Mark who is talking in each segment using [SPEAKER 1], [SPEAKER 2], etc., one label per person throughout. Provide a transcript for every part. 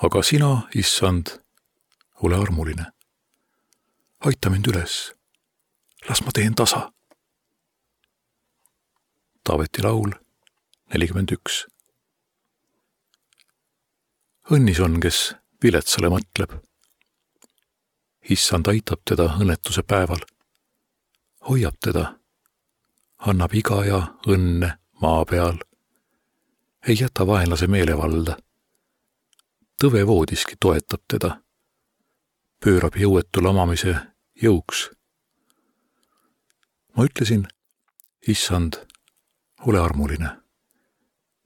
[SPEAKER 1] Aga sina, issand, ole armuline. Aita mind üles. Las ma teen tasa. Taaveti laul 41. Õnnis on, kes viletsale mõtleb. Issand aitab teda õnnetuse päeval. Hoiab teda. Annab iga ja õnne maa peal. Ei jäta vaenlase meelevalda. Tõve voodiski toetab teda. Pöörab jõuetu lamamise jõuks. Ma ütlesin, issand, ole armuline.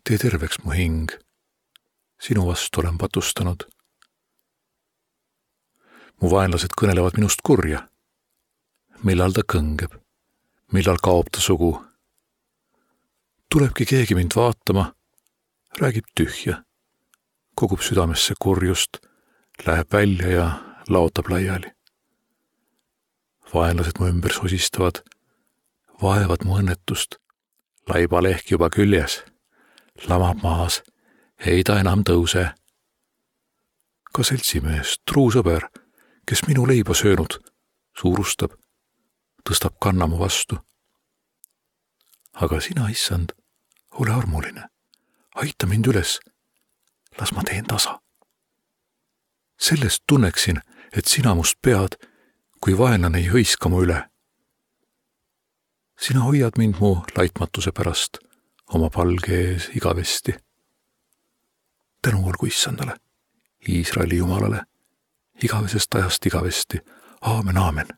[SPEAKER 1] Tee terveks mu hing. Sinu vastu olen patustanud. Mu vaenlased kõnelevad minust kurja. Millal ta kõngeb? Millal kaob ta sugu? Tulebki keegi mind vaatama, räägib tühja. Kogub südamesse kurjust, läheb välja ja laotab laiali. Vaenlased mu ümber sosistavad, vaevad mu õnnetust. Laibaleht juba küljes, lamab maas, ei ta enam tõuse. Ka seltsimees, truu sõber, kes minu leiba söönud, suurustab, tõstab kanna mu vastu. Aga sina, issand, ole armuline, aita mind üles, las ma teen tasa. Sellest tunneksin, et sina must pead, kui vaenlane ei hõiska mu üle. Sina hoiad mind mu laitmatuse pärast oma palge ees igavesti. Tänu olgu issandale, Iisraeli Jumalale, igavesest ajast igavesti. Aamen, aamen.